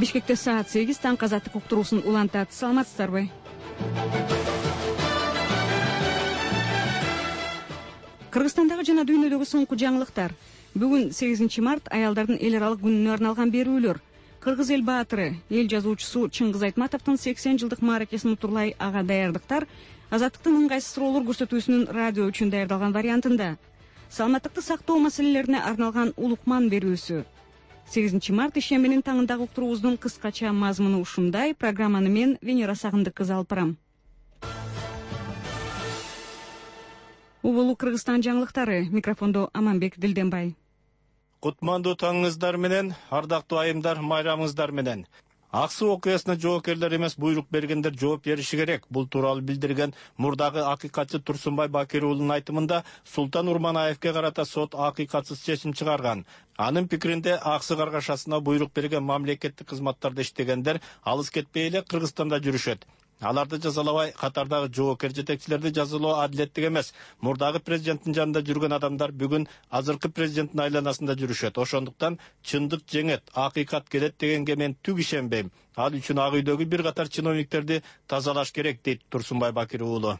Бишкекте саат 8 таң азаттык уктуруусун улантат. Саламатсыздарбы? Кыргызстандагы жана дүйнөдөгү соңку жаңылыктар. Бүгүн 8 март аялдардын эл аралык күнүнө арналган берүүлөр. Кыргыз эл баатыры, эл жазуучусу Чыңгыз Айтматовдун 80 жылдык мааракесин утурлай ага даярдыктар азаттыктын ыңгайсыз суроолор көрсөтүүсүнүн радио үчүн даярдалган вариантында. Саламаттыкты сактоо маселелерине арналган улукман берүүсү. 8 март ишембинин таңындагы уктуруубуздун кыскача мазмуну ушундай. Программаны мен Венера Сагындык кызы алып барам. Убулу Кыргызстан жаңылыктары. Микрофондо Аманбек Дилденбай. Кутмандуу таңыңыздар менен, ардактуу айымдар, майрамыңыздар менен. Ак суу окуясына жоокерлер эмес, буйрук бергендер жооп бериши керек. Бул тууралуу билдирген мурдагы акыйкатчы Турсунбай Бакир уулунун айтымында Султан Урманаевке карата сот акыйкатсыз чечим чыгарган. Анын пикиринде Аксы Каргашасына буйрук берген мамлекеттик кызматтарда иштегендер алыс кетпей эле Кыргызстанда жүрүшөт. Аларды жазалабай, катардагы жоокер жетекчилерди жазалоо адилеттик эмес. Мурдагы президенттин жанында жүргөн адамдар бүгүн азыркы президенттин айланасында жүрүшөт. Ошондуктан чындык жеңет, акыйкат келет дегенге мен түк ишенбейм. Ал үчүн ак үйдөгү бир катар чиновниктерди тазалаш керек, дейт Турсунбай Бакир уулу.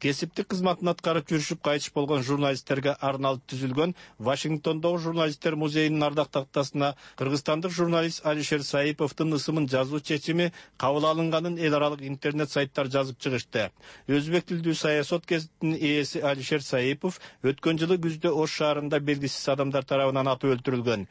Кесиптик кызматын аткарып жүрүшүп кайтыш болгон журналисттерге арналып түзүлгөн Вашингтондогу журналисттер музейинин ардак тактасына кыргызстандык журналист Алишер Саиповдун ысымын жазуу чечими кабыл алынганын эл аралык интернет сайттар жазып чыгышты. Өзбек тилдүү саясат гезитинин ээси Алишер Саипов өткөн жылы күздө Ош шаарында белгисиз адамдар тарабынан атып өлтүрүлгөн.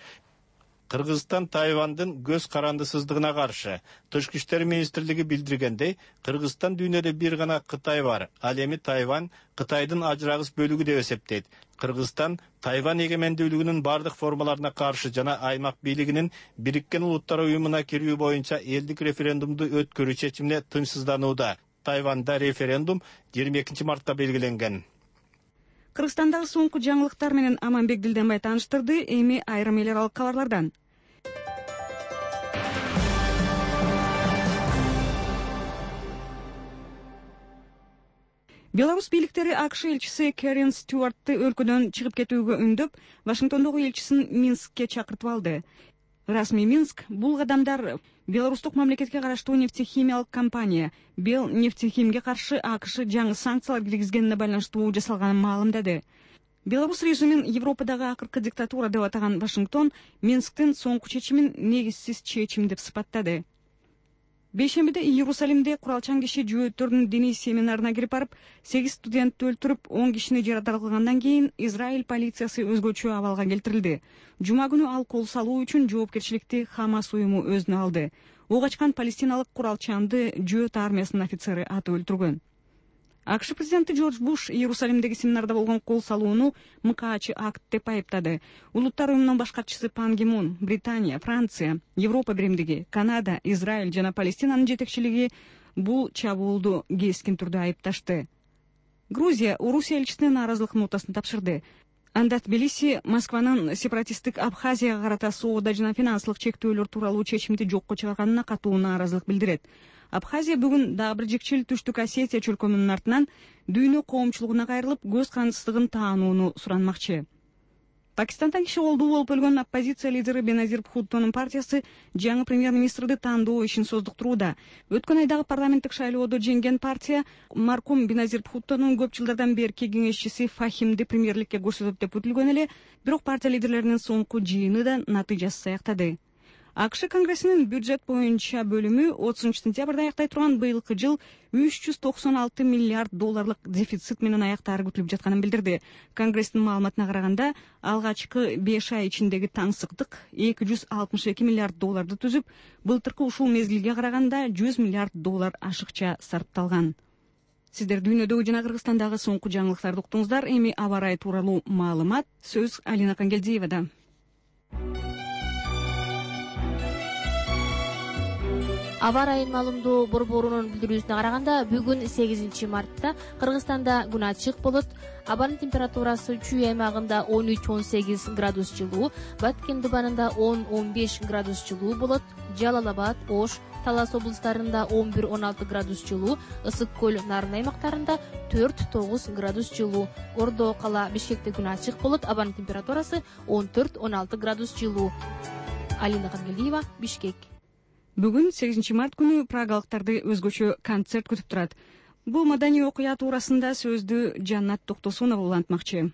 Кыргызстан Тайвандын көз карандысыздыгына каршы. Тышкы иштер министрлиги билдиргендей, Кыргызстан дүйнөдө бир гана Кытай бар. Ал эми Тайвань Кытайдын ажырагыс бөлүгү деп эсептейт. Кыргызстан Тайвань эгемендүүлүгүнүн бардык формаларына каршы жана аймак бийлигинин Бириккен Улуттар уюмуна кирүү боюнча элдик референдумду өткөрүү чечимине тынчсызданууда. Тайванда референдум 22 мартта белгиленген. Кыргызстандагы соңку жаңылыктар менен Аманбек Дилденбай тааныштырды. Эми айрым эл аралык кабарлардан. Беларусь бийликтери АКШ элчиси Кэрин Стюартты өлкөдөн чыгып кетүүгө үндөп, Вашингтондогу элчисин Минскке чакыртып алды. Расмий Минск бул кадамдар Беларустук мамлекетке караштуу нефтехимиялык компания Белнефтехимге каршы АКШ жаңы санкциялар киргизгенине байланыштуу жасалганын маалымдады. Беларусь режимин Европадагы акыркы диктатура деп атаган Вашингтон Минсктин соңку чечимин негизсиз чечим деп сыпаттады. Бейшембиде Иерусалимде куралчан киши жөөттөрдүн диний семинарына кирип барып, 8 студентти өлтүрүп, 10 кишини жаракат кылгандан кийин Израиль полициясы өзгөчө абалга келтирилди. Жума күнү ал кол салуу үчүн жоопкерчиликти Хамас уюму өзүнө алды. Ок ачкан палестиналык куралчанды жөөт армиясынын офицери атып өлтүргөн. АКШ президенти Джордж Буш Иерусалимдеги семинарда болгон кол салууну МКАчы акт деп айыптады. Улуттар уюмунун баш катчысы Пан Ги Мун, Британия, Франция, Европа биримдиги, Канада, Израиль жана Палестинанын жетекчилиги бул чабуулду кескин түрдө айыпташты. Грузия Орусия элчисине нааразылык нотасын тапшырды. Анда Тбилиси Москванын сепаратисттик Абхазияга карата соода жана финансылык чектөөлөр тууралуу чечимди жокко чыгарганына катуу нааразылык билдирет. Абхазия бүгүн дагы бир жикчил Түштүк Осетия чөлкөмүнүн артынан дүйнө коомчулугуна кайрылып, көз карандысыздыгын таанууну суранмакчы. Пакистанда киши колдуу болуп өлгөн оппозиция лидери Беназир Бхуттонун партиясы жаңы премьер-министрди тандоо ишин создуктурууда. Өткөн айдагы парламенттик шайлоодо жеңген партия маркум Беназир Бхуттонун көп жылдардан берки кеңешчиси Фахимди премьерликке көрсөтөт деп күтүлгөн эле, бирок партия лидерлеринин соңку жыйыны да натыйжасыз аяктады. АКШ Конгрессинин бюджет боюнча бөлүмү 30 сентябрда аяктай турган быйылкы жыл 396 миллиард долларлык дефицит менен аяктаары күтүлүп жатканын билдирди. Конгресстин маалыматына караганда, алгачкы 5 ай ичиндеги таңсыктык 262 миллиард долларды түзүп, былтыркы ушул мезгилге караганда 100 миллиард доллар ашыкча сарпталган. Сиздер дүйнөдөгү жана Кыргызстандагы соңку жаңылыктарды уктуңуздар. Эми аба ырайы тууралуу маалымат. Сөз Алина Кангелдиевада. Аба ырайын маалымдоо борборунун билдирүүсүнө караганда, бүгүн 8 мартта Кыргызстанда күн ачык болот. Абанын температурасы Чүй аймагында 13-18 градус жылуу, Баткен дубанында 10-15 градус жылуу болот. Жалал-Абад, Ош, Талас облустарында 11-16 градус жылуу, Ысык көл, Нарын аймактарында 4-9 градус жылуу. Ордо кала Бишкекте күн ачык болот. Абанын температурасы 14-16 градус жылуу. Алина Кангелдиева, Бишкек. Бүгүн 8 март күнү прагалыктарды өзгөчө концерт күтүп турат. Бул маданий окуя туурасында сөздү Жаннат Токтосунова улантмакчы.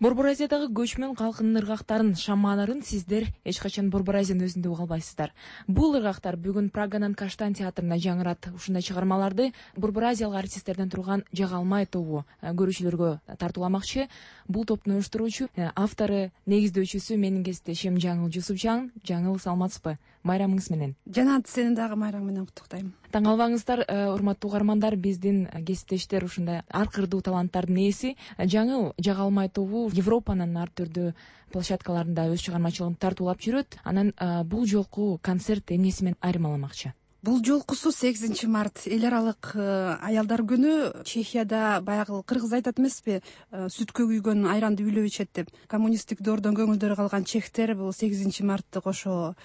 Борбор Азиядагы көчмөн калкынын ыргактарын, шамааларын сиздер эч качан Борбор Азиянын өзүндө уга албайсыздар. Бул ыргактар бүгүн Праганын Каштан театрында жаңырат. Ушундай чыгармаларды Борбор Азиялык артисттерден турган Жагалмай тобу көрүүчүлөргө тартууламакчы. Бул топтун уюштуруучу, автору, негиздөөчүсү менин кесиптешим Жаңыл Жусупжан. Жаңыл, саламатсызбы? Майрамыңыз менен. Жанат, сени дагы майраң менен куттуктайм. Таң албаңыздар, урматтуу угармандар, биздин кесиптештер ушундай ар кырдуу таланттардын ээси. Жаңыл Жагалмай тобу Европанын ар түрдүү площадкаларында өз чыгармачылыгын тартуулап жүрөт. Анан бул жолку концерт эмнеси менен айырмаламакчы? Бул жолкусу 8 март эл аралык аялдар күнү. Чехияда баягы кыргыз айтат эмеспи, сүткө күйгөн айранды үйлөп ичет деп. Коммунисттик доордон көңүлдөрү калган чехтер бул 8 мартты кошо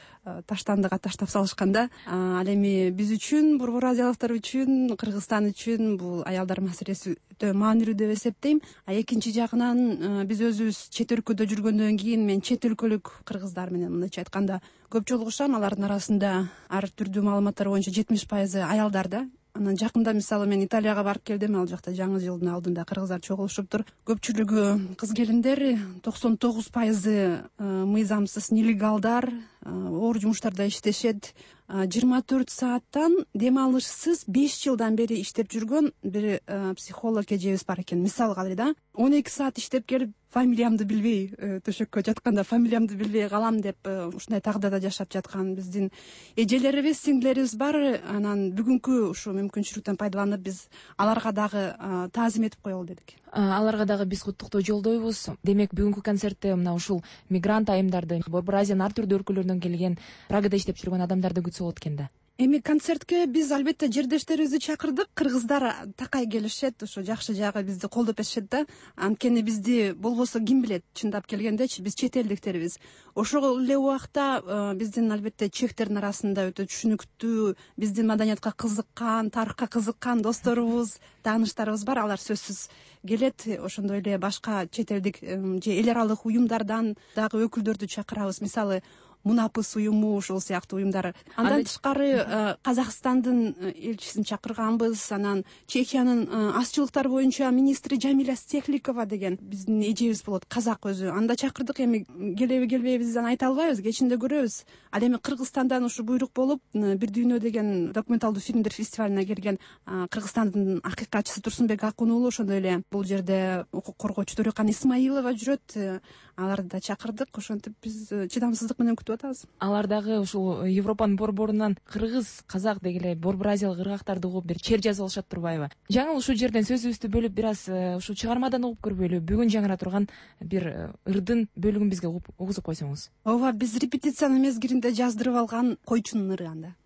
таштандыга таштап салышканда. Ал эми биз үчүн, Борбор Азиялыктар үчүн, Кыргызстан үчүн бул аялдар маселеси өтө маанилүү деп эсептейм. Экинчи жагынан биз өзүбүз чет өлкөдө жүргөндөн кийин мен чет өлкөлүк кыргыздар менен мындайча айтканда көп жолугушам. Алардын арасында ар түрдүү маалыматтар боюнча 70% аялдар да. Анан жакында мисалы мен Италияга барып келдим. Ал жакта жаңы жылдын алдында кыргыздар чогулушуптур. Көпчүлүгү кыз келиндер, 99% мыйзамсыз нелегалдар, оор жумуштарда иштешет. 24 сааттан дем алышсыз 5 жылдан бери иштеп жүргөн бир психолог эжебиз бар экен. Мисалга да 12 саат иштеп келип, фамилиямды билбей, төшөккө жатканда фамилиямды билбей калам деп ушундай тагдада жашап жаткан биздин эжелерибиз, сиңдилерибиз бар. Анан бүгүнкү ушу мүмкүнчүлүктөн пайдаланып биз аларга дагы таазим этип коелу дедик. Аларга дагы биз куттуктоо жолдойбуз. Демек бүгүнкү концертте мына ушул мигрант айымдарды, Борбор Азиянын ар түрдүү өлкөлөрүнөн келген, Прагада иштеп жүргөн адамдарды күтсө болот экен да. Эми концертке биз албетте жердештерибизди чакырдык. Кыргыздар такай келишет, ошо жакшы жагы бизди колдоп эсишет да. Анткени бизди болбосо ким билет, чындап келгендечи биз чет элдиктербиз. Ошол эле убакта биздин албетте чехтердин арасында өтө түшүнүктүү, биздин маданиятка кызыккан, тарыхка кызыккан досторубуз, тааныштарыбыз бар. Алар сөзсүз келет. Ошондой эле башка чет элдик же эл аралык уюмдардан дагы өкүлдөрдү чакырабыз. Мисалы Мунапыс уюму, ушул сыяктуу уюмдар. Андан тышкары Казакстандын элчисин чакырганбыз. Анан Чехиянын азчылыктар боюнча министри Жамиля Стехликова деген биздин эжебиз болот, казак өзү. Анда чакырдык. Эми келеби келбейбизден айта албайбыз, кечинде көрөбүз. Ал эми Кыргызстандан ушу буйрук болуп, Бир дүйнө деген документалдуу фильмдер фестивалына келген Кыргызстандын акыйкатчысы Турсунбек Акун уулу, ошондой эле бул жерде укук коргоочу Төрөкан Исмаилова жүрөт. Аларды да чакырдык. Ошентип биз чыдамсыздык менен күтүп атабыз. Алар дагы ушул Европанын борборунан кыргыз, казак дегеле Борбор Азиялык ыргактарды угуп бир чер жазып алышат турбайбы? Жаңыл ушул жерден сөзүбүздү бөлүп бир аз ушул чыгармадан угуп көрбөйлү. Бүгүн жаңыра турган бир ырдын бөлүгүн бизге угузуп койсоңуз. Ооба, биз репетициянын мезгилинде жаздырып алган койчунун ыры анда.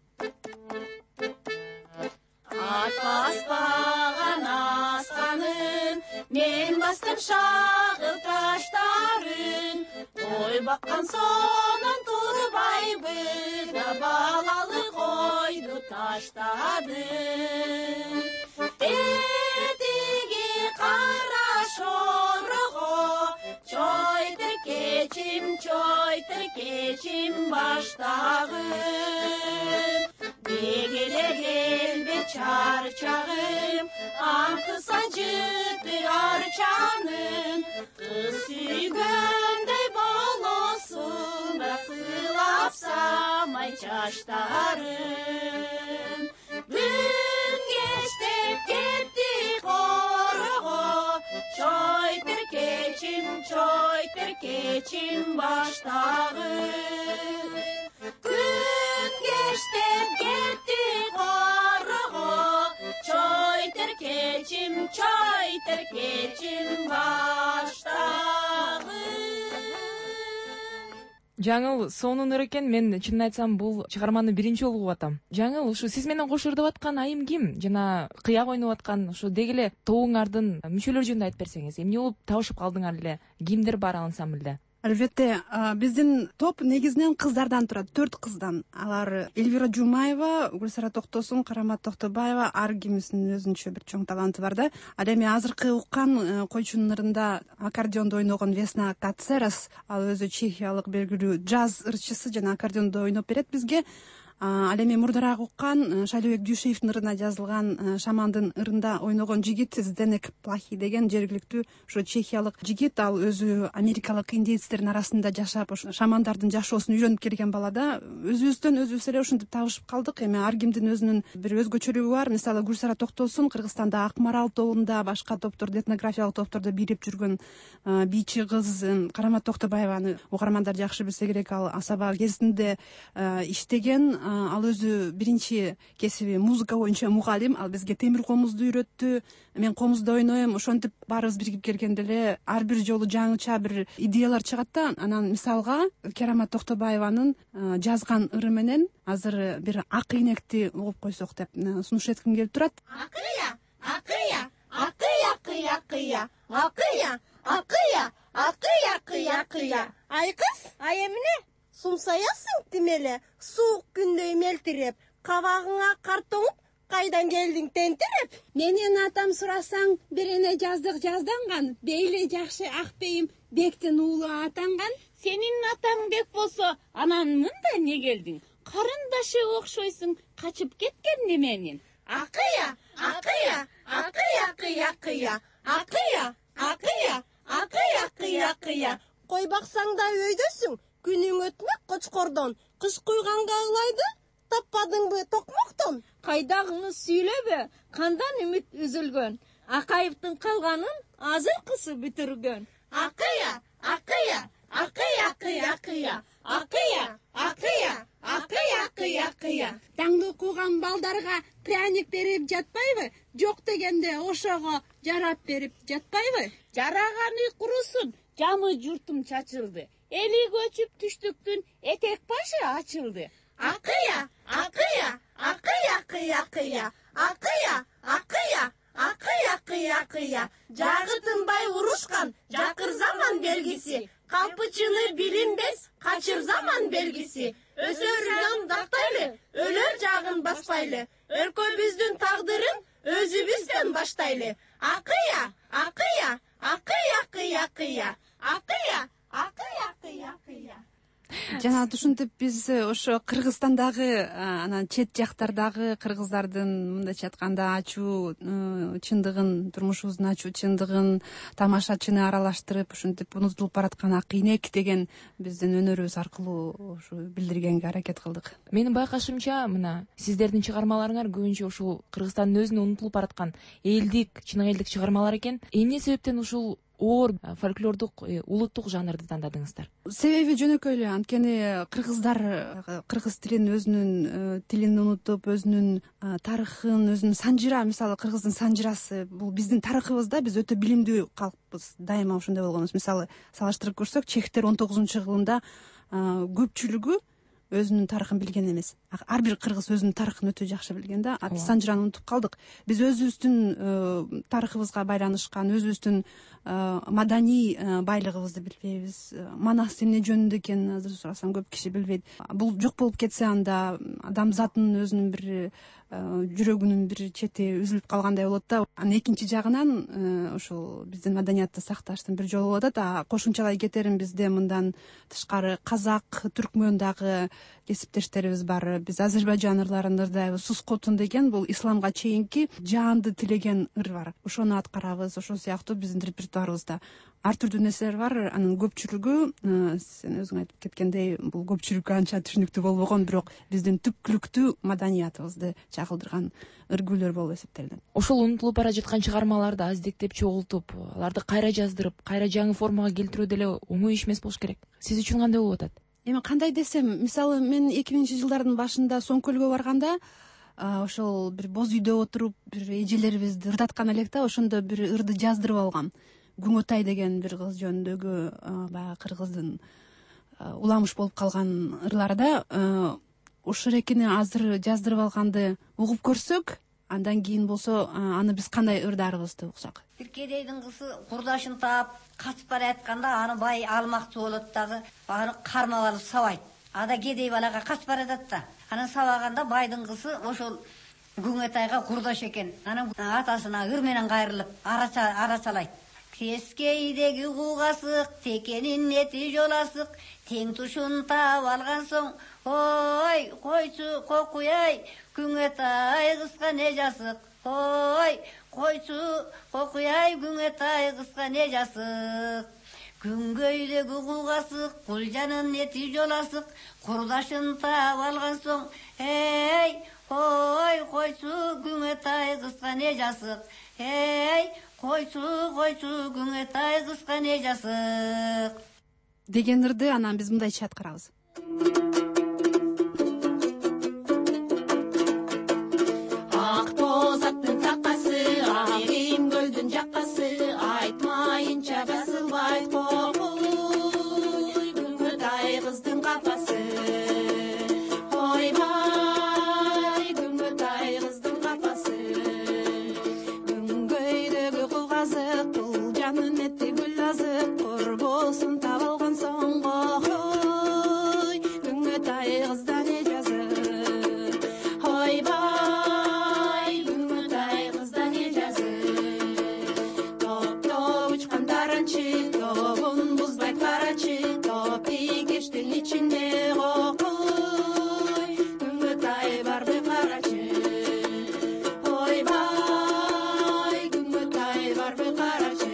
Ат баспаган асканын, мен бастым шагыл таштарын, кой баккан сонун турбайбы, да балалы койду таштадым. Этиги кара шорого, чойтыр кечим баштагы. жыты арчанын кыз сүйгөндөй болосуң сыйлап самай чачтарын күн кечтеп кетти корого чой теркечим баштагы күн кечтеп кетти корого чой теркечим баштагы. Жаңыл сонун ыр экен. Мен чынын айтсам бул чыгарманы биринчи жолу угуп атам. Жаңыл, ушу сиз менен кош ырдап аткан айым ким? Жана кыяк ойноп аткан ушу деги эле тобуңардын мүчөлөрү жөнүндө айтып берсеңиз. Эмне болуп табышып калдыңар эле? Кимдер бар ансамбльде? Албетте, биздин топ негизинен кыздардан турат, 4 кыздан. Алар Эльвира Жумаева, Гүлсара Токтосун, Карамат Токтобаева, ар кимисинин өзүнчө бир чоң таланты бар да. Ал эми азыркы уккан койчунун ырында аккордеондо ойногон Весна Кацерас, ал өзү чехиялык белгилүү джаз ырчысы жана аккордеондо ойноп берет бизге. Ал эми мурдараак уккан Шайлообек Дүйшеевдин ырына жазылган Шамандын ырында ойногон жигит Зденек Плахи деген жергиликтүү ушу чехиялык жигит. Ал өзү америкалык индейцтердин арасында жашап, ошо шамандардын жашоосун үйрөнүп келген бала да. Өзүбүздөн өзүбүз эле ушинтип табышып калдык. Эми ар кимдин өзүнүн бир өзгөчөлүгү бар. Мисалы Гүлсара Токтосун Кыргызстанда Акмарал тобунда, башка топтордо, этнографиялык топтордо бирип жүргөн бийчи кыз. Карамат Токтобаеваны угармандар жакшы билсе керек. Ал Асаба кезинде иштеген. Ал өзү биринчи кесиби музыка боюнча мугалим. Ал бизге темир комузду үйрөттү. Мен комузда ойнойм. Ошентип баарыбыз биригип келгенде эле ар бир жолу жаңыча бир идеялар чыгат да. Анан мисалга Карамат Токтобаеванын жазган ыры менен азыр бир ак ийнекти угуп койсок деп сунуш этким келип турат. Акыя, акыя, акыя, акыя, акыя, акыя, акыя, акыя, акыя, акыя. Ай кыз, ай эмне? Сумсаясың тимеле, суук күндөй мелтиреп, кабагыңа кар тоңуп, кайдан келдиң тентиреп? Менен атам сурасаң, бирине жазданган, бейли жакшы ак бейим Бектин уулу атанган. Сенин атаң Бек болсо, анан мында не келдиң? Карындашы окшойсуң, качып кеткен неменин? Акыя, акыя, акыя, акыя, акыя, акыя, акыя, акыя, акыя, акыя. Кой баксаң да өйдөсүң, күнүң өтмөк кочкордон, кыш куйганга ылайды, таппадыңбы токмоктон? Кайдагыңы сүйлөбө, кандан үмүт үзүлгөн. Акаевдин калганын азыркысы бүтүргөн. Акыя, акыя, акыя, акыя, акыя, акыя, акыя, акыя, акыя, акыя. Таңды окуган балдарга пряник берип жатпайбы? Жок дегенде ошого жарап берип жатпайбы? Жараганы курусун, жамы журтум чачылды. Эли көчүп түштүктүн этек башы ачылды. Акыя, акыя, акыя, акыя, акыя, акыя, акыя, акыя, акыя, акыя. Жагы тынбай урушкан жакыр заман белгиси. Калпычыны билинбес, качыр заман белгиси. Өсөр жандактайлы, өлөр жагын баспайлы. Өлкөбүздүн тагдырын өзүбүздөн баштайлы. Акыя, акыя, акыя, акыя, акыя, акыя, акыя, акыя, акыя. Жана ушинтип биз ошо Кыргызстандагы анан чет жактардагы кыргыздардын мындайча айтканда ачуу чындыгын, турмушубуздун ачуу чындыгын, тамашачыны аралаштырып ушинтип унутулуп бараткан ак ийнек деген биздин өнөрүбүз аркылуу ушу билдиргенге аракет кылдык. Менин байкашымча, мына сиздердин чыгармаларыңар көбүнчө ушул Кыргызстандын өзүнө унутулуп бараткан элдик, чын элдик чыгармалар экен. Эмне себептен ушул оор фольклордук, улуттук жанрды тандадыңыздар? Себеби жөнөкөй эле. Анткени кыргыздар кыргыз тилин, өзүнүн тилин унутуп, өзүнүн тарыхын, өзүнүн санжыра, мисалы кыргыздын санжырасы бул биздин тарыхыбызда. Биз өтө билимдүү калкпыз, дайыма ошондой болгонбуз. Мисалы салыштырып көрсөк, чехтер 19-кылымда көпчүлүгү өзүнүн тарыхын билген эмес. Ар бир кыргыз өзүнүн тарыхын өтө жакшы билген да. Биз санжыраны унутуп калдык. Биз өзүбүздүн тарыхыбызга байланышкан, өзүбүздүн маданий байлыгыбызды билбейбиз. Манас эмне жөнүндө экенин азыр сурасам көп киши билбейт. Бул жок болуп кетсе, анда адамзаттын өзүнүн бир жүрөгүнүн бир чети үзүлүп калгандай болот да. Анан экинчи жагынан ушул биздин маданиятты сакташтын бир жолу болуп атат. Кошумчалай кетерим, бизде мындан тышкары казак, түркмөн дагы кесиптештерибиз бар. Биз Азербайжан ырларында ырдайбыз. Сускотун деген бул исламга чейинки жаанды тилеген ыр бар. Ошону аткарабыз. Ошол сыяктуу биздин репертуарыбызда ар түрдүү нерселер бар. Анын көпчүлүгү сен өзүң айтып кеткендей, бул көпчүлүккө анча түшүнүктүү болбогон, бирок биздин түпкүлүктүү маданиятыбызды чагылдырган ыр-күйлөр болуп эсептелинет. Ошол унутулуп бара жаткан чыгармаларды аздектеп чогултуп, аларды кайра жаздырып, кайра жаңы формага келтирүү деле оңой иш эмес болуш керек. Сиз үчүн кандай болуп атат? Эми кандай десем, мисалы мен 2000-жылдардын башында Соңкөлгө барганда, ошол бир боз үйдө отуруп, бир эжелерибизди ырдаткан элек да, ошондо бир ырды жаздырып алгам. Күңөтай деген бир кыз жөнүндөгү баягы кыргыздын уламыш болуп калган ырларда ошол экини азыр жаздырып алганды угуп көрсөк, андан кийин болсо аны биз кандай ырдарыбызды уксак. Бир кедейдин кызы курдашын таап качып бара жатканда аны бай алмакчы болот дагы, аны кармап алып сабайт. Ада кедей балага качып бара жатат да. Анан сабаганда байдын кызы ошол Күңөтайга курдаш экен. Анан атасына ыр менен кайрылып арачалайт. Кескейдеги кугасык, текенин эти жоласык, тең тушун таап алган соң, ой, койчу кокуяй, Күңөтай кызга не жасык, ой, койчу кокуяй, Күңөтай кызга не жасык. Күнгөйдөгү кугасык, кулжанын эти жоласык, курдашын таап алган соң, ой, койчу Күңөтай кызга не жасык, койчу Күңөтай кызга не жасык деген ырды анан биз мындайча аткарабыз. Ак тозактын такасы, айым көлдүн жаккасы, айтмайынча басылбайт кокуй, Күңөтай кыздын капасы. Ойбай, Күңөтай кыздын капасы. Күнгөйдөгү кугазык, кулжанын эти гүл азык, корбосун таап алган соң, ой, Күңөтай кызда не жазык. Ойбай, Күңөтай кызда не жазык. Топ-топ учкан таранчы, тобун бузбайт карачы, топи кештин ичинде кокуй, Күңөтай барбы карачы. Ойбай, Күңөтай барбы карачы.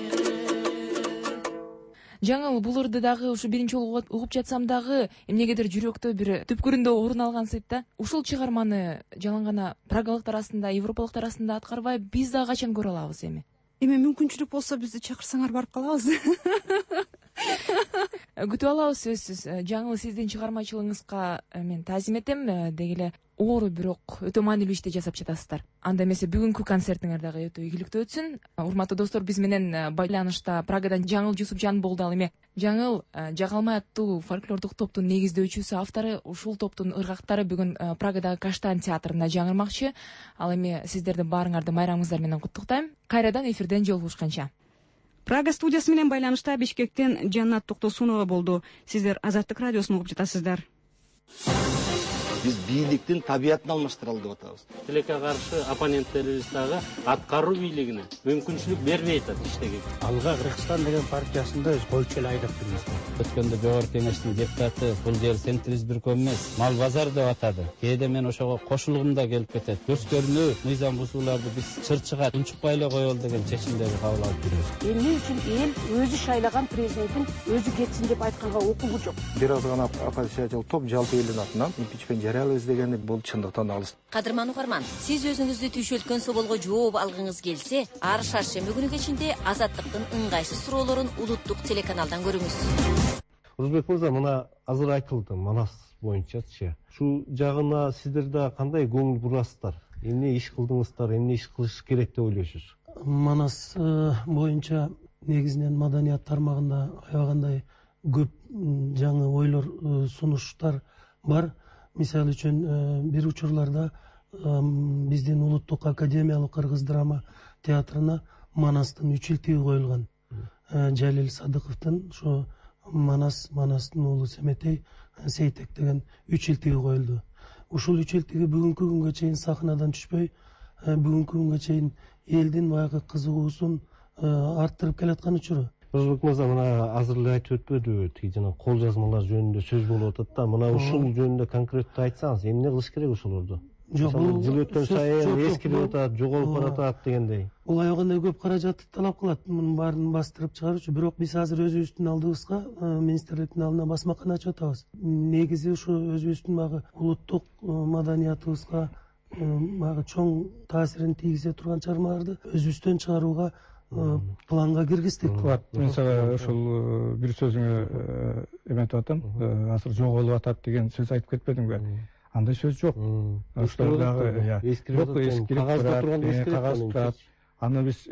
Жаңыл, бул ырды дагы ушу биринчи жолу угуп жатсам дагы эмнегедир жүрөктө бир түпкүрүндө орун алган сыйт да. Ушул чыгарманы жалаң гана прагалыктар арасында, европалыктар арасында аткарбай, биз дагы качан көрө алабыз эми? Эми мүмкүнчүлүк болсо бизди чакырсаңар барып калабыз. Күтүп алабыз сөзсүз. Жаңыл, сиздин чыгармачылыгыңызга мен таазим этем. Деги эле оор бирок өтө маанилүү ишти жасап жатасыздар. Анда эмесе бүгүнкү концертиңер дагы өтө ийгиликтүү өтсүн. Урматтуу достор, биз менен байланышта Прагадан Жаңыл Жусупжан болду. Ал эми Жаңыл Жагалмай аттуу фольклордук топтун негиздөөчүсү, автору. Ушул топтун ыргактары бүгүн Прагадагы Каштан театрында жаңырмакчы. Ал эми сиздерди баарыңарды майрамыңыздар менен куттуктайм. Кайрадан эфирден жолугушканча. Прага студиясы менен байланышта Бишкектен Жаннат Токтосунова болду. Сиздер Азаттык радиосун угуп жатасыздар. Биз бийликтин табиятын алмаштыралы деп атабыз. Тилекке каршы оппоненттерибиз дагы аткаруу бийлигине мүмкүнчүлүк бермей атат иштеге. Алга Кыргызстан деген партиясында өз койчу эле айдап жүрмүз. Өткөндө жогорку кеңештин депутаты бул жер центриздирком эмес, мал базар деп атады. Кээде мен ошого кошулгум да келип кетет. Көскөрүнүү мыйзам бузууларды биз чырчыга унчукпай эле коелу деген чечимдерди кабыл алып жүрөбүз. Эмне үчүн эл өзү шайлаган президенттин өзү кетсин деп айтканга укугу жок. Бир аз гана оппозициячыл топ жалпы элдин атынан импичмент жарыялайбыз дегенди бул чындыктан алыс. Кадырман угарман, сиз өзүңүздү түйшөлткөн соолго жооп алгыңыз келсе, ар шаршемби күнү кечинде Азаттыктын ыңгайсыз суроолорун улуттук телеканалдан көрүңүз. Узбек мырза, мына азыр айтылды Манас боюнчачы. Ушул жагына сиздер да кандай көңүл бурасыздар? Эмне иш кылдыңыздар, эмне иш кылыш керек деп ойлойсуз? Манас боюнча негизинен маданият тармагында аябагандай көп жаңы ойлор, сунуштар бар. Мисалы үчүн бир учурларда биздин улуттук академиялык кыргыз драма театрына Манастын 3 илтиги коюлган. Жалил Садыковдун ошо Манастын уулу Семетей Сейтек деген 3 илтиги коюлду. ушул үч эл тиги бүгүнкү күнгө чейин сахнадан түшпөй, бүгүнкү күнгө чейин элдин баягы кызыгуусун арттырып келаткан учуру. Озбек мырза, мына азыр эле айтып өтпөдүбү, тиги жана кол жазмалар жөнүндө сөз болуп атат да. Мына ушул жөнүндө конкреттүү айтсаңыз, эмне кылыш керек ошолорду? Жок, бул жыл өткөн сайын эскирип атат, жоголуп баратат дегендей. Бул аябагандай көп каражатты талап кылат, мунун баарын бастырып чыгаруучу. Бирок биз азыр өзүбүздүн алдыбызга министрликтин алдына басмакана ачып атабыз. Негизи ушу өзүбүздүн баягы улуттук маданиятыбызга баягы чоң таасирин тийгизе турган чыгармаларды өзүбүздөн чыгарууга планга киргиздик. Мен сага ошол бир сөзүңө эметип атам. Азыр жоголуп атат деген сөз айтып кетпедиңби? Андай сөз жок. Ошол дагы эскирип турат. Аны биз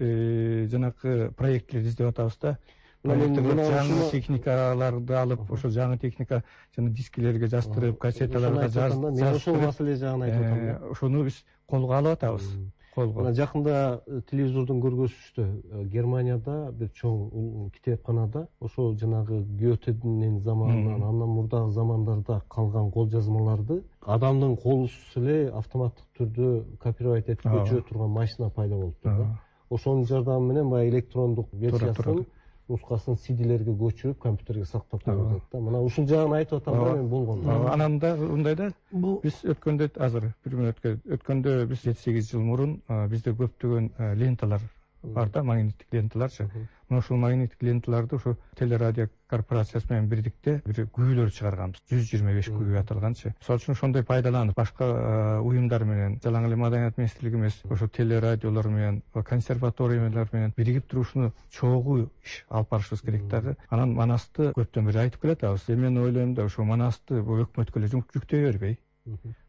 жанакы проектлерди издеп атабыз да. Жаңы техникаларды алып, ошол жаңы техника жана дискилерге жаздырып, кассеталарга жаздырып, мен ошол маселе жагын айтып атам. Ошону биз колго алып атабыз. Мына жакында телевизордон көргөзүштү. Германияда бир чоң китепканада ошол жанагы Гётенин заманынан, андан мурдагы замандарда калган кол жазмаларды адамдын колусуз эле автоматтык түрдө копировать этип көчүрө турган машина пайда болуптур да. Ошонун жардамы менен баягы электрондук версиясын нускасын CD-лерге көчүрүп компьютерге сактап коюп атат да. Мына ушул жагын айтып атам да мен болгондо. Анан да мындай да, биз өткөндө азыр бир мүнөткө өткөндө биз 7-8 жыл мурун бизде көптөгөн ленталар бар да, магниттик ленталарчы. Мына ушул магниттик ленталарды ошо телерадио корпорациясы менен бирдикте бир күбөлөр чыгарганбыз. 125 күбө аталганчы. Мисалы үчүн ошондой пайдаланып, башка уюмдар менен, жалаң эле маданият министрлиги эмес, ошо телерадиолор менен, консерваториялар менен биригип туруп ушуну чогуу иш алып барышыбыз керек дагы. Анан Манасты көптөн бери айтып келатабыз. Мен ойлойм да, ошо Манасты бул өкмөткө эле жүктөй бербей,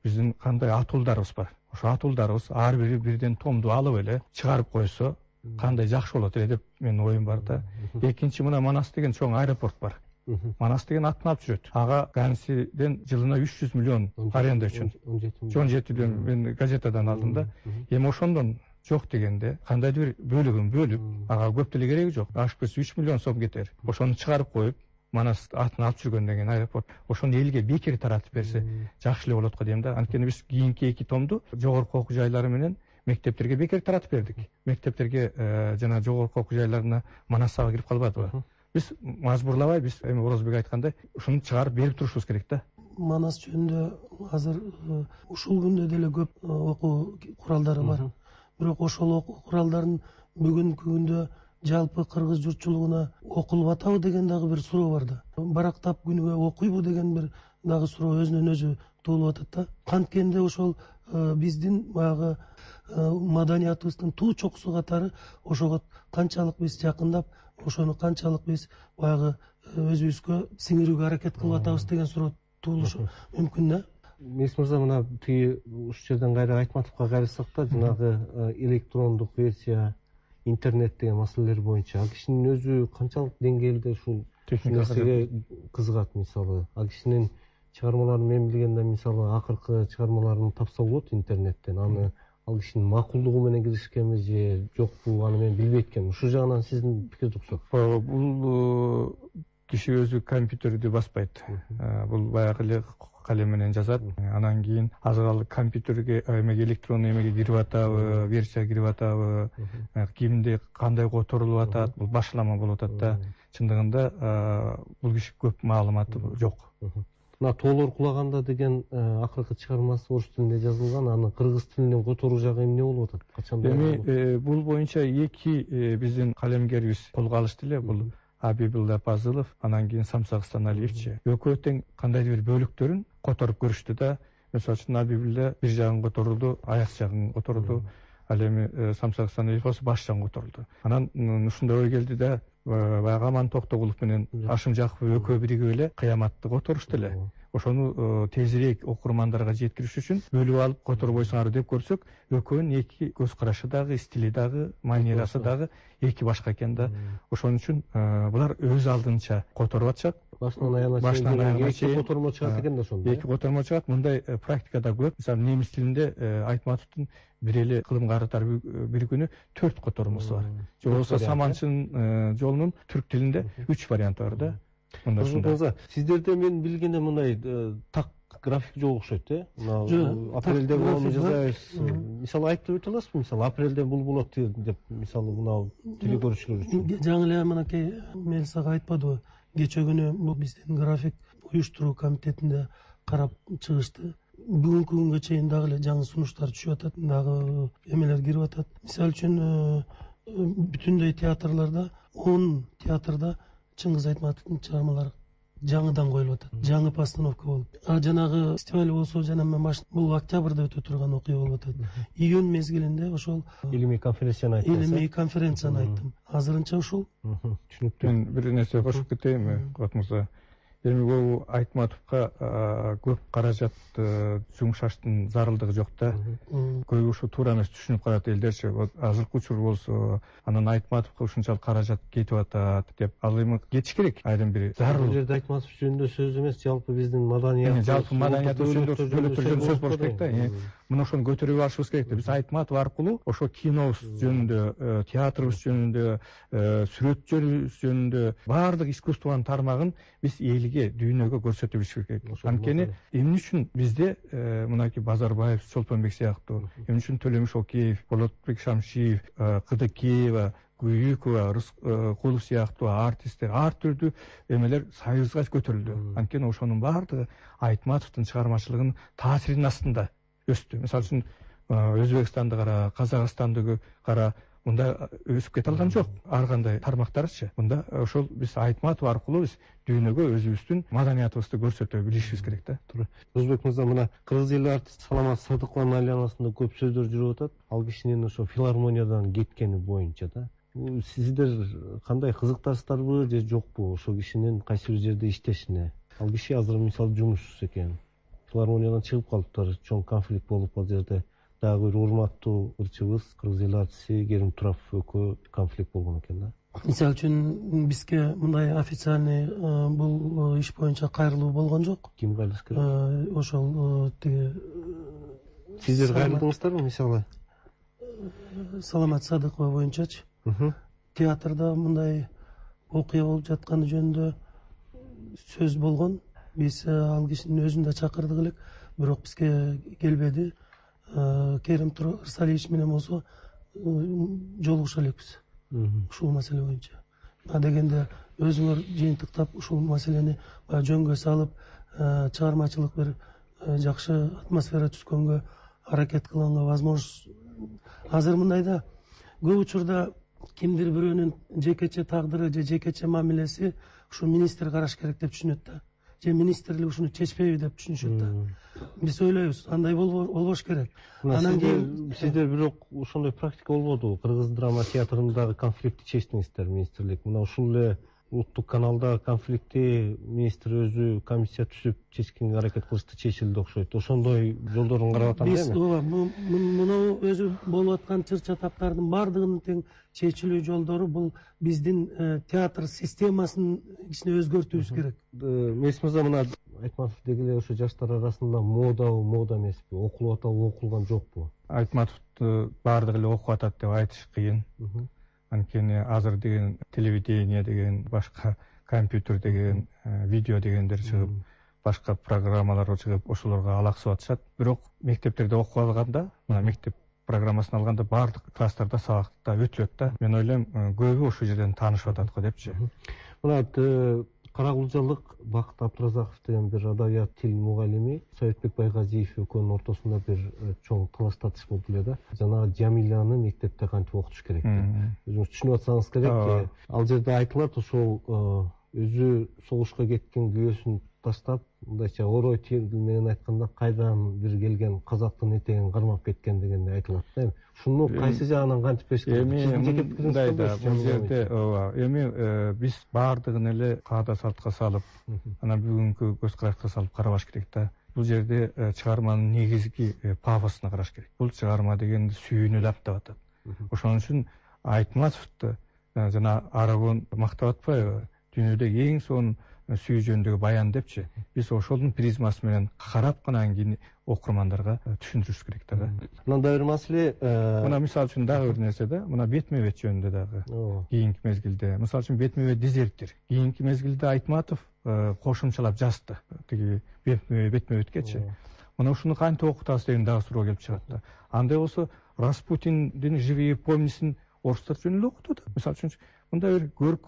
биздин кандай атуулдарыбыз бар. Ошо атуулдарыбыз ар бири бирден томду алып эле чыгарып койсо, кандай жакшы болот эле деп менин оюм бар да. Экинчи, мына Манас деген чоң аэропорт бар. Манас деген атын алып жүрөт. Ага Гансиден жылына 300 миллион аренда үчүн. 17 миллион мен газетадан алдым да. Эми ошондон жок дегенде кандайдыр бир бөлүгүн бөлүп, ага көп деле кереги жок. Ашпес 3 миллион сом кетер. Ошону чыгарып коюп, Манас атын алып жүргөн деген аэропорт, ошону элге бекер таратып берсе жакшы эле болот го дейм да. Анткени биз кийинки 2 томду жогорку окуу жайлары менен мектептерге бекер таратып бердик. Мектептерге жана жогорку окуу жайларына Манас сага кирип калбадыбы? Биз мажбурлабай, биз эми Орозбек айткандай, ушуну чыгарып берип турушубуз керек да. Манас жөнүндө азыр ушул күндө деле көп окуу куралдары бар. Бирок ошол окуу куралдарын бүгүнкү күндө жалпы кыргыз журтчулугуна окулуп атабы деген дагы бир суроо бар да. Барактап күнүгө окуйбу деген бир дагы суроо өзүнөн өзү туулуп атат да. Канткенде ошол биздин баягы маданиятыбыздын туу чокусу катары ошого канчалык биз жакындап, ошону канчалык биз баягы өзүбүзгө сиңирүүгө аракет кылып атабыз деген суроо туулушу мүмкүн да. Мес мырза, мына тиги ушул жерден кайра Айтматовго кайрылсак да, жанагы электрондук версия, интернет деген маселелер боюнча ал кишинин өзү канчалык деңгээлде ушул нерсеге кызыгат? Мисалы, ал кишинин чыгармаларын мен билгенде, мисалы, акыркы чыгармаларын тапса болот интернеттен. Аны ал кишинин макулдугу менен киришкенби же жокпу, аны мен билбейт экенмин. Ушул жагынан сиздин пикирди уксак. Бул киши өзү компьютерди баспайт. Бул баягы эле калем менен жазат. Анан кийин азыр компьютерге эмеге электрондуу эмеге кирип атабы, версия кирип атабы, кимде кандай которулуп атат, бул башлама болуп атат да. Чындыгында бул киши көп маалыматы жок. Мына тоолор кулаганда деген акыркы чыгармасы орус тилинде жазылган, аны кыргыз тилинен которуу жагы эмне болуп атат? Качанда? Эми бул боюнча эки биздин калемгерибиз колго алышты эле. Бул Абибилла Пазылов, анан кийин Самсак Станалиевич. Экөө тең кандайдыр бир бөлүктөрүн которуп көрүштү да. Мисалы үчүн Абибилла бир жагын которулду, аяк жагын которулду. Ал эми Самсак Станалиев болсо баш жагын которулду. Анан ушундай ой келди да, баягы Аман Токтогулов менен Ашым Жакупов экөө биригип эле кыяматты которушту эле. Ошону тезирээк окурмандарга жеткириш үчүн бөлүп алып которбойсуңар деп көрсөк, экөөнүн эки көз карашы дагы, стили дагы, манерасы дагы эки башка экен да. Ошон үчүн булар өз алдынча которуп атышат. Башынан аягына чейин эки котормо чыгат экен да ошондо. Эки котормо чыгат. Мындай практикада көп. Мисалы, немис тилинде Айтматовдун бир эле кылым карытар бир күнү 4 котормосу бар. Же болбосо Саманчын жолунун түрк тилинде 3 варианты бар да. Сиздерде мен билгенде мындай так график жок окшойт мына апрелде буну жасайбыз мисалы айтып өтө аласызбы мисалы апрелде бул болот деп мисалы мына телекөрүүчүлөр үчүн жаңы эле мынакей Мелисага айтпадыбы кечээ күнү бул биздин график уюштуруу комитетинде карап чыгышты. Бүгүнкү күнгө чейин дагы эле жаңы сунуштар түшүп атат, дагы эмелер кирип атат. Мисалы үчүн бүтүндөй театрларда 10 театрда Чыңгыз Айтматовдун чыгармалары жаңыдан коюлуп атат. Жаңы постановка болуп. Жанагы фестиваль болсо жана бул октябрда өтө турган окуя болуп атат. Июнь мезгилинде ошол илимий конференцияны айттым. Азырынча ушул. Түшүнүктүү. Мен бир нерсе кошуп кетейинби, Кубат мырза? Эми бул Айтматовго көп каражат жумшаштын зарылдыгы жок да. Көбү ушу туура эмес түшүнүп калат элдерчи. Азыркы учур болсо анан Айтматовго ушунчалык каражат кетип атат деп, ал эми кетиш керек. Айрым бири зарыл. Бул жерде Айтматов жөнүндө сөз эмес, жалпы биздин маданият, жалпы маданият жөнүндө сөз болуш керек да. Мына ошону көтөрүп алышыбыз керек да. Биз Айтматов аркылуу ошо кинобуз жөнүндө, театрыбыз жөнүндө, сүрөтчүбүз жөнүндө баардык искусствонун тармагын биз элге, дүйнөгө көрсөтүп билишибиз керек. Анткени эмне үчүн бизде мынакей Базарбаев, Чолпонбек сыяктуу, эмне үчүн Төлөмүш Океев, Болотбек Шамшиев, Кыдыкеева, Күйүкова, Рыскулов сыяктуу артисттер ар түрдүү эмелер союзга көтөрүлдү. Анткени ошонун баардыгы Айтматовдун чыгармачылыгынын таасиринин астында өстү. Мисалы үчүн Өзбекстанды кара, Казакстанды кара, мында өсүп кете алган жок. Ар кандай тармактарчы. Мында ошол биз Айтматов аркылуу биз дүйнөгө өзүбүздүн маданиятыбызды көрсөтө билишибиз керек да. Туура. Өзбек мырза, мына кыргыз эл артист Саламат Садыкованын айланасында көп сөздөр жүрүп атат. Ал кишинин ошо филармониядан кеткени боюнча да. Сиздер кандай кызыктарсыздарбы же жокпу ошол кишинин кайсы бир жерде иштешине? Ал киши азыр мисалы жумушсуз экен. Филармониядан чыгып калыптыр, чоң конфликт болуп ал жерде. Дагы бир урматтуу ырчыбыз, кыргыз эл артисти Керим Турапов экөө конфликт болгон экен да. Мисалы үчүн бизге мындай официальный бул иш боюнча кайрылуу болгон жок. Ким кайрылыш керек? Ошол тиги сиздер кайрылдыңыздарбы мисалы? Саламат Садыкова боюнчачы. Театрда мындай окуя болуп жатканы жөнүндө сөз болгон. Биз ал кишинин өзүн да чакырдык элек, бирок бизге келбеди. Керим Ырсалиевич менен болсо жолугуша элекпиз ушул маселе боюнча. Дегенде өзүңөр жыйынтыктап ушул маселени жөнгө салып, чыгармачылык бир жакшы атмосфера түзгөнгө аракет кылганга возможность. Азыр мындай да, көп учурда кимдир бирөөнүн жекече тагдыры же жекече мамилеси ушу министр караш керек деп түшүнөт да. Же министрлик ушуну чечпейби деп түшүнүшөт да. Биз ойлойбуз, андай болбош керек. Анан кийин сиздер бирок ошондой практика болбоду. Кыргыз драма театрындагы конфликтти чечтиңиздер министрлик. Мына ушул эле улуттук каналда конфликтти министр өзү комиссия түзүп чечкенге аракет кылышты, чечилди окшойт. Ошондой жолдорун карап атам дейм. Биз муну өзү болуп аткан чыр чатактардын баардыгынын тең чечилүү жолдору бул биздин театр системасын ичине өзгөртүүбүз керек. Мелис мырза, мына Айтматов деги эле ошо жаштар арасында модабы, мода эмеспи? Окулуп атабы, окулган жокпу? Айтматовду баардыгы эле окуп атат деп айтыш кыйын. Анткени азыр деген телевидение деген, башка компьютер деген, видео дегендер чыгып, башка программалар чыгып, ошолорго алаксып атышат. Бирок мектептерде окуп алганда, мына мектеп программасын алганда баардык класстарда сабакта өтүлөт да. Мен ойлойм, көбү ошол жерден таанышып атат го депчи. Мына Карагулжалык Бакыт Абдыразаков деген бир адабият тил мугалими Советбек Байгазиев экөөнүн ортосунда бир чоң талаш тартыш болду эле да. Жанагы Жамиланы мектепте кантип окутуш керек деп. Өзүңүз түшүнүп атсаңыз керек. Ал жерде айтылат, ошол өзү согушка кеткен күйөөсүн таштап, мындайча орой тил менен айтканда кайдан бир келген казактын этегин кармап кеткен деген айтылат да. Ушуну кайсы жагынан кантип бериш керек? Мындай да, бул жерде эми биз баардыгын эле каада салтка салып, анан бүгүнкү көз карашка салып карабаш керек да. Бул жерде чыгарманын негизги пафосуна караш керек. Бул чыгарма дегенди сүйүүнү лаптап атат. Ошон үчүн Айтматовду жана Арагон мактап атпайбы? Дүйнөдөгү эң сонун сүйүү жөнүндөгү баян депчи, биз ошонун призмасы менен карап анан кийин окурмандарга түшүндүрүш керек да. Мындай бир маселе, мына мисалы үчүн дагы бир нерсе да, мына бетме бет жөнүндө дагы кийинки мезгилде, мисалы үчүн бетме бет дезертир. Кийинки мезгилде Айтматов кошумчалап жазды тиги бетме беткечи. Мына ушуну кантип окутабыз деген дагы суроо келип чыгат да. Андай болсо Распутиндин живые помнисин орустар жөн эле окутот. Мисалы үчүн мындай бир көркөм